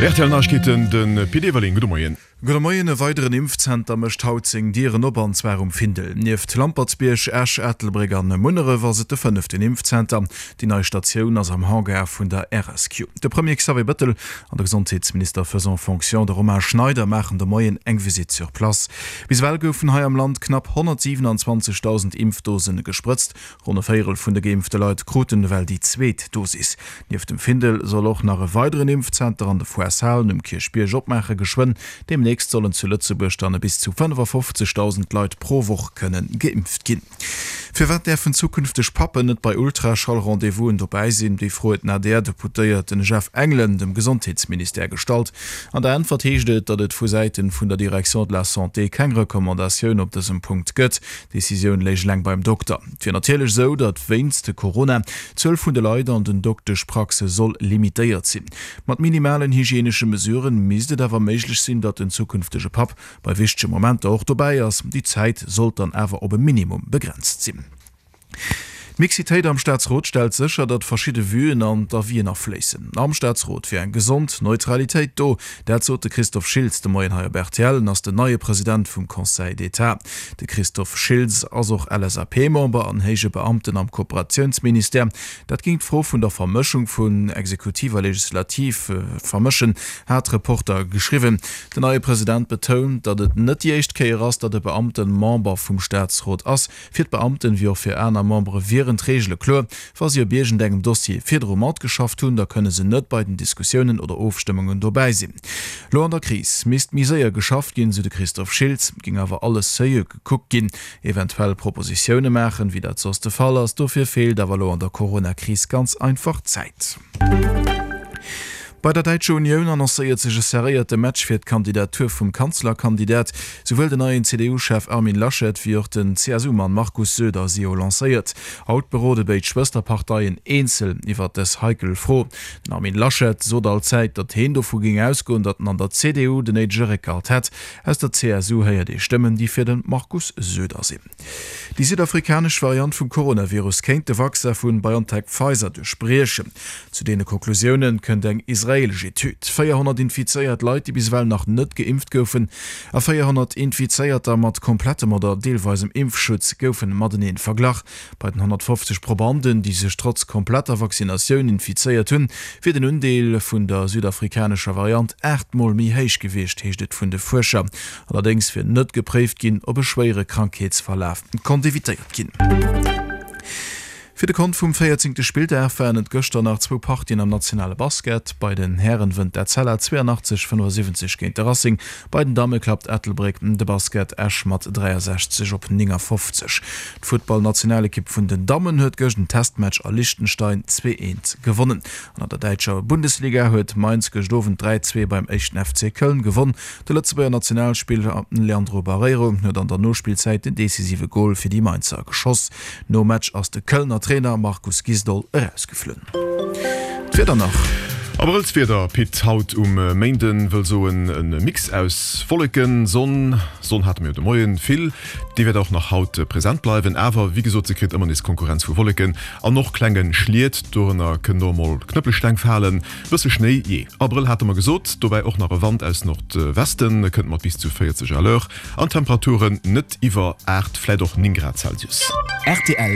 Rtl Neiegkeeten, de Pit Everling, gudde Moien. Gudde Moien, E weideren Impfzenter mécht haut seng Dieren op, an zwar um Findel. Nieft Lampertsbierg, Esch, Ettelbréck an Munneref ass et de fënneften Impfzenter. Déi nei Statioun ass am Hangar vun der RSQ. De Premier Xavier Bettel an de Gesondheetsminister faisant fonction, de Romain Schneider, maachen de Moien eng Visitt sur place. Bis ewell goufen hei am Land knapp 127.000 Impfdose gesprëtzt. Ronn e Véierel vun de geimpfte Leit kruten ewell déi zweet Dosis. Nieft dem Findel soll och nach e weideren Impfzenter an de Foireshalen um Kierchbierg opmaache geschwënn. Deemnächst sollen zu Lëtzebuerg dann e bis zu 55.000 Leit pro Woch kënne geimpft ginn. Firwat däerfen zukünfteg Pappen net bei Ultraschall-Rendez-vousen dobäi sinn? Déi Fro huet den ADR-Deputéierten Jeff Engelen dem Gesondheetsministère gestallt. An der Äntwert heescht et, datt et vu Säiten vun der Direction de la Santé keng Recommandatioun op dësem Punkt gëtt. D'Decisioun léich eleng beim Dokter. Et wier natierlech esou, datt wéinst Corona d'Zuel vun de Leit an den Dokteschpraxe soll limitéiert sinn. Mat minimalen hygienesche Mesuren misst et awer méiglech sinn, datt den zukünftege Papp bei wichtege Momenter och dobäi ass. Déi Zäit sollt dann awer op e Minimum begrenzt sinn. D'Mixitéit am Staatsrot stellt sécher, datt verschidde Vuen an d'Avisen afléissen. Am Staatsrot wier eng gesond Neutralitéit do. Dat sot de Christophe Schiltz de Moien hei op rtl. En ass den neie President vum Conseil d'État. De Christophe Schiltz ass och LSAP-Member an héije Beamten am Kooperatiounsministère. Dat géing d'Fro vun der Vermëschung vun Exekutiv a Legislativ vermëschen, hat Reporter geschriwwen. Den neie President betount, datt et net déi éischt Kéier ass, datt e Beamten Member vum Staatsrot ass. Fir d'Beamten, wéi och fir aner Membere wieren d'Reegele kloer, Wa si op iergendengem Dossier virdru matgeschafft hunn, da kënne se net bei den Diskussiounen oder Ofstëmmungen dobäi sinn. Lo an der Kris misst méi séier geschafft ginn, sou de Christophe Schiltz. Et géing awer alles seriö gekuckt ginn, eventuell Propositioune maachen, wéi dat soss de Fall ass. Dofir feelt awer lo an der Corona-Kris ganz einfach d'Zäit. Bei der Däitscher Unioun annoncéiert sech e serréierte Match fir d'Kandidatur vum Kanzlerkandidat. Souwuel den neien CDU-Chef Armin Laschet wéi och den CSU-Mann Markus Söder si jo lancéiert. Haut berode béid Schwësterparteien eenzel iwwer dës heikel Fro. Den Armin Laschet sot allzäit, datt heen dovu géing ausgoen, datt en an der CDU den néidege Réckhalt hätt. Aus der CSU héiert ee Stëmmen, déi fir de Markus Söder sinn. Déi südafrikanesch Variant vum Coronavirus kéint de Vaccin vu BioNTech-Pfizer duerchbriechen. Zu deene Konklusioune kënnt eng israeelesch Etüd. 400 infizéiert Leit, déi bis ewell nach net geimpft goufen, a 400 Infizéierter mat komplettem oder deelweisem Impfschutz goufen matenee verglach. Bei den 150 Probanden, déi sech trotz kompletter Vaccinatioun infizéiert hunn, wier den Undeel vun der südafrikanescher Variant 8 Mol méi héich gewiescht, heescht et vun de Fuerscher. Allerdéngs wier net gepréift ginn, ob e schwéiere Krankheetsverlaf konnt evitéiert ginn. Fir de Kont vum 14. Spilldag waren et gëschter nach zwou Partien am nationale Basket. Bei den Hären wënnt d'Etzella 82, 75 géint de Racing. Bei den Damme klappt Ettelbréck de Basket Esch mat 63 op 59. D'Futtballnationalekipp vun den Dammen huet gëscht en Testmatch a Liechtenstein 2, 1 gewonnen. An an der däitscher Bundesliga huet Mainz gëscht Owend 3, 2 beim éischten FC Köln gewonn. De Lëtzebuerger Nationalspiller Leandro Barreiro huet an der Nospillzäit den decisive Gol fir déi Mainzer geschoss. Nom Match ass de Kölner Trainer Markus Gisdol erausgeflunn. D'Wieder nach. Abrëllswieder, Pit, haut um Méinden, wëll soen e Mix aus Wolleken, Sonn, Sonn hate mir jo de Moien vill, déi wäert och nach haut present bleiwen, awer wéi gesot, se kritt ëmmer nees Konkurrenz vu Wolleken an och klenge Schliet, dorënner kënnen och mol Knëppelsteng falen. Bësse Schnéi, jee. Abrëll hate mer gesot, dobäi och nach e Wand aus Nordwesten, kënnt mat bis zu 40 à l'heure an Temperaturen net iwwer 8, vläit och 9 Grad Celsius. Rtl.